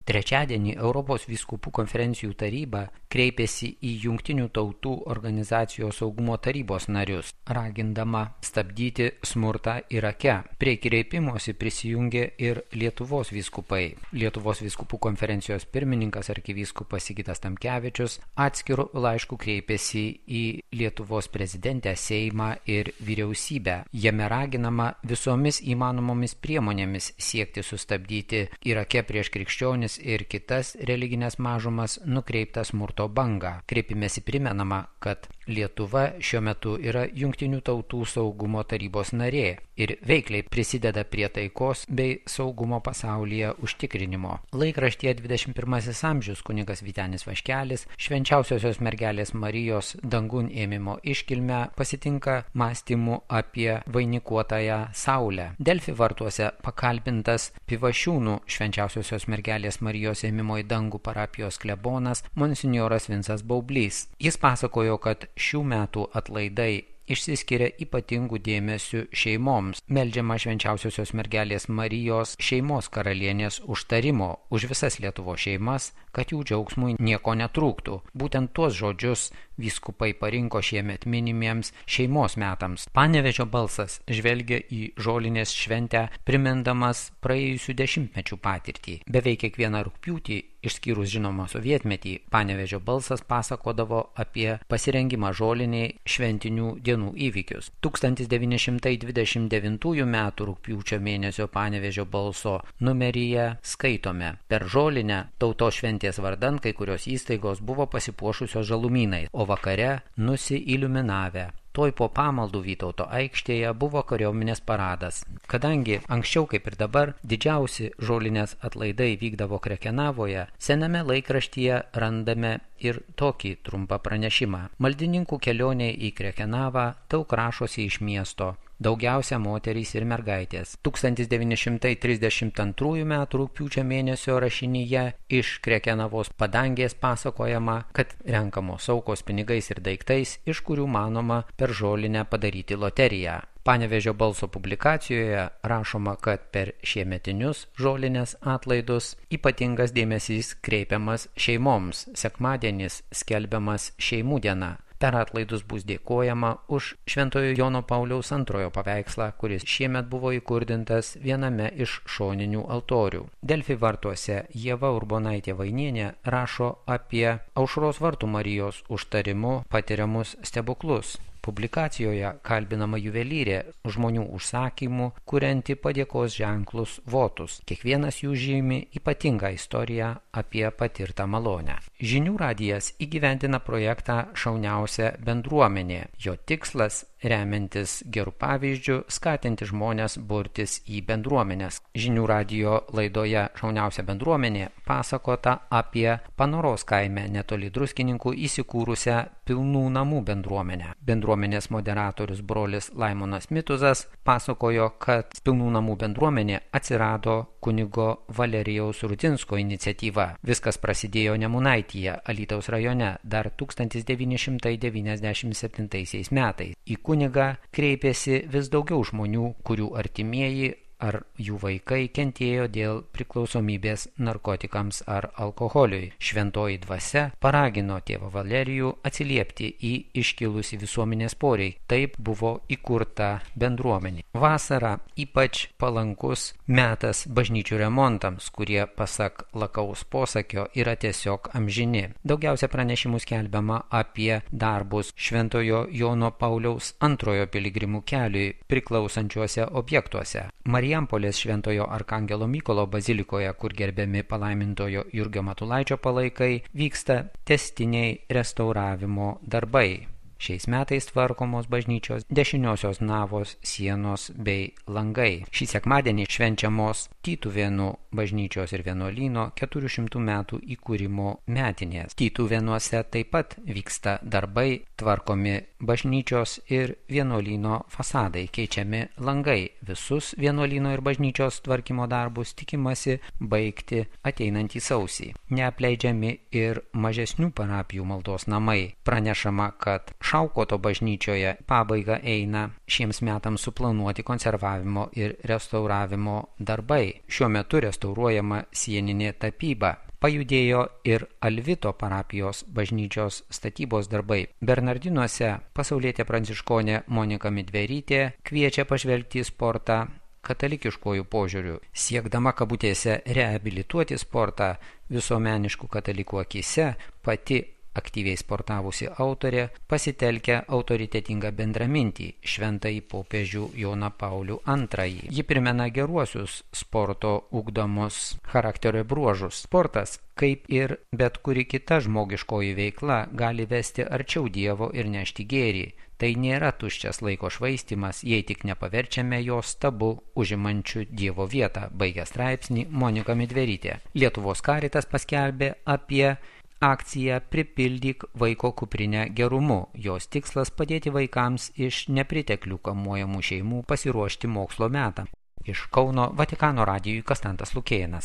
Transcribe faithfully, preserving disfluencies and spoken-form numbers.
Trečiadienį Europos vyskupų konferencijų taryba kreipėsi į Jungtinių tautų organizacijos saugumo tarybos narius, ragindama stabdyti smurtą Irake. Prie kreipimosi prisijungė ir Lietuvos vyskupai. Lietuvos vyskupų konferencijos pirmininkas arkivyskupas Sigitas Tamkevičius atskiru laišku kreipėsi į Lietuvos prezidentę, Seimą ir vyriausybę. Jame raginama visomis įmanomomis priemonėmis siekti sustabdyti Irake prieš krikščionis ir kitas religinės mažumas nukreiptą smurto bangą. Kreipimėsi primenama, kad Lietuva šiuo metu yra Jungtinių tautų saugumo tarybos narė ir veikliai prisideda prie taikos bei saugumo pasaulyje užtikrinimo. Laikraštyje dvidešimt pirmasis amžius kunigas Vytenis Vaškelis Švenčiausiosios mergelės Marijos dangun ėmimo iškilmę pasitinka mąstymu apie vainikuotąją Saulę. Delfi vartuose pakalbintas Pivašiūnų Švenčiausiosios mergelės Marijos ėmimo į dangų parapijos klebonas monsinjoras Vincas Baublys. Jis pasakojo, kad šių metų atlaidai išsiskiria ypatingų dėmesių šeimoms. Meldžiama Švenčiausiosios mergelės Marijos šeimos karalienės užtarimo už visas Lietuvos šeimas, kad jų džiaugsmui nieko netrūktų. Būtent tuos žodžius vyskupai parinko šiemet minimiems šeimos metams. Panevėžio balsas žvelgia į žolinės šventę, primindamas praėjusių dešimtmečių patirtį. Beveik kiekvieną rugpjūtį, išskyrus žinoma sovietmetį, Panevėžio balsas pasakodavo apie pasirengimą žoliniai šventinių dienų įvykius. tūkstantis devyni šimtai dvidešimt devintųjų metų rugpjūčio mėnesio Panevėžio balso numeryje skaitome: per žolinę tautos šventės vardan kai kurios įstaigos buvo pasipuošusios žalumynais, o vakare nusiiliuminavę. Toj po pamaldų Vytauto aikštėje buvo kariuomenės paradas. Kadangi anksčiau kaip ir dabar didžiausi žolinės atlaidai vykdavo Krekenavoje, sename laikraštyje randame ir tokį trumpą pranešimą. Maldininkų kelionė į Krekenavą daug rašosi iš miesto. Daugiausia moterys ir mergaitės. tūkstantis devyni šimtai trisdešimt antrųjų metų rugpjūčio mėnesio rašinyje iš Krekenavos padangės pasakojama, kad renkamos aukos pinigais ir daiktais, iš kurių manoma per žolinę padaryti loteriją. Panevėžio balso publikacijoje rašoma, kad per šiemetinius žolinės atlaidus ypatingas dėmesys kreipiamas šeimoms. Sekmadienis skelbiamas šeimų diena. Per atlaidus bus dėkojama už Šventojo Jono Pauliaus antrojo paveikslą, kuris šiemet buvo įkurdintas viename iš šoninių altorių. Delfi vartuose Ieva Urbonaitė Vainienė rašo apie Aušros vartų Marijos užtarimu patiriamus stebuklus. Publikacijoje kalbinama juvelyrė žmonių užsakymų, kurianti padėkos ženklus votus. Kiekvienas jų žymi ypatingą istoriją apie patirtą malonę. Žinių radijas įgyvendina projektą Šauniausia bendruomenė. Jo tikslas remiantis gerų pavyzdžių skatinti žmonės burtis į bendruomenės. Žinių radijo laidoje Šauniausia bendruomenė pasakota apie Panoros kaime netoli Druskininkų įsikūrusią Pilnų namų bendruomenę. Bendruomenės moderatorius brolis Laimonas Mituzas pasakojo, kad Pilnų namų bendruomenė atsirado kunigo Valerijaus Rudzinsko iniciatyva. Viskas prasidėjo Nemunaityje, Alytaus rajone, dar tūkstantis devyni šimtai devyniasdešimt septintaisiais metais. Į kunigą kreipėsi vis daugiau žmonių, kurių artimieji ar jų vaikai kentėjo dėl priklausomybės narkotikams ar alkoholiui. Šventoji dvasia paragino tėvą Valerijų atsiliepti į iškilusį visuomenės poreikį. Taip buvo įkurta bendruomenė. Vasara ypač palankus metas bažnyčių remontams, kurie pasak Lakaus posakio yra tiesiog amžini. Daugiausia pranešimų skelbiama apie darbus Šventojo Jono Pauliaus antrojo piligrimų keliui priklausančiuose objektuose. Marijampolės Šventojo Arkangelo Mykolo bazilikoje, kur gerbiami palaimintojo Jurgio Matulaičio palaikai, vyksta tęstiniai restauravimo darbai. Šiais metais tvarkomos bažnyčios dešiniosios navos, sienos bei langai. Šį sekmadienį švenčiamos Tytuvėnų bažnyčios ir vienuolyno keturių šimtų metų įkūrimo metinės. Tytuvėnuose taip pat vyksta darbai, tvarkomi bažnyčios ir vienuolyno fasadai, keičiami langai. Visus vienuolyno ir bažnyčios tvarkymo darbus tikimasi baigti ateinantį sausį. Neapleidžiami ir mažesnių parapijų maldos namai. Pranešama, kad Šaukoto bažnyčioje pabaiga eina šiems metams suplanuoti konservavimo ir restauravimo darbai. Šiuo metu restauruojama sieninė tapyba. Pajudėjo ir Alvito parapijos bažnyčios statybos darbai. Bernardinuose pasaulietė pranciškonė Monika Midverytė kviečia pažvelgti į sportą katalikiškojų požiūrių. Siekdama kabutėse reabilituoti sportą visuomeniškų katalikų akise, pati aktyviai sportavusi autorė pasitelkia autoritetingą bendramintį šventąjį popiežių Joną Paulių antrąjį. Ji primena geruosius sporto ugdomus charakterio bruožus. Sportas, kaip ir bet kuri kita žmogiškoji veikla, gali vesti arčiau Dievo ir nešti gėrį. Tai nėra tuščias laiko švaistimas, jei tik nepaverčiame jo stabu užimančių Dievo vietą, baigia straipsnį Monika Midverytė. Lietuvos Karitas paskelbė apie akcija Pripildyk vaiko kuprinę gerumu. Jos tikslas padėti vaikams iš nepriteklių kamuojamų šeimų pasiruošti mokslo metą. Iš Kauno Vatikano radijui Konstantas Lukėnas.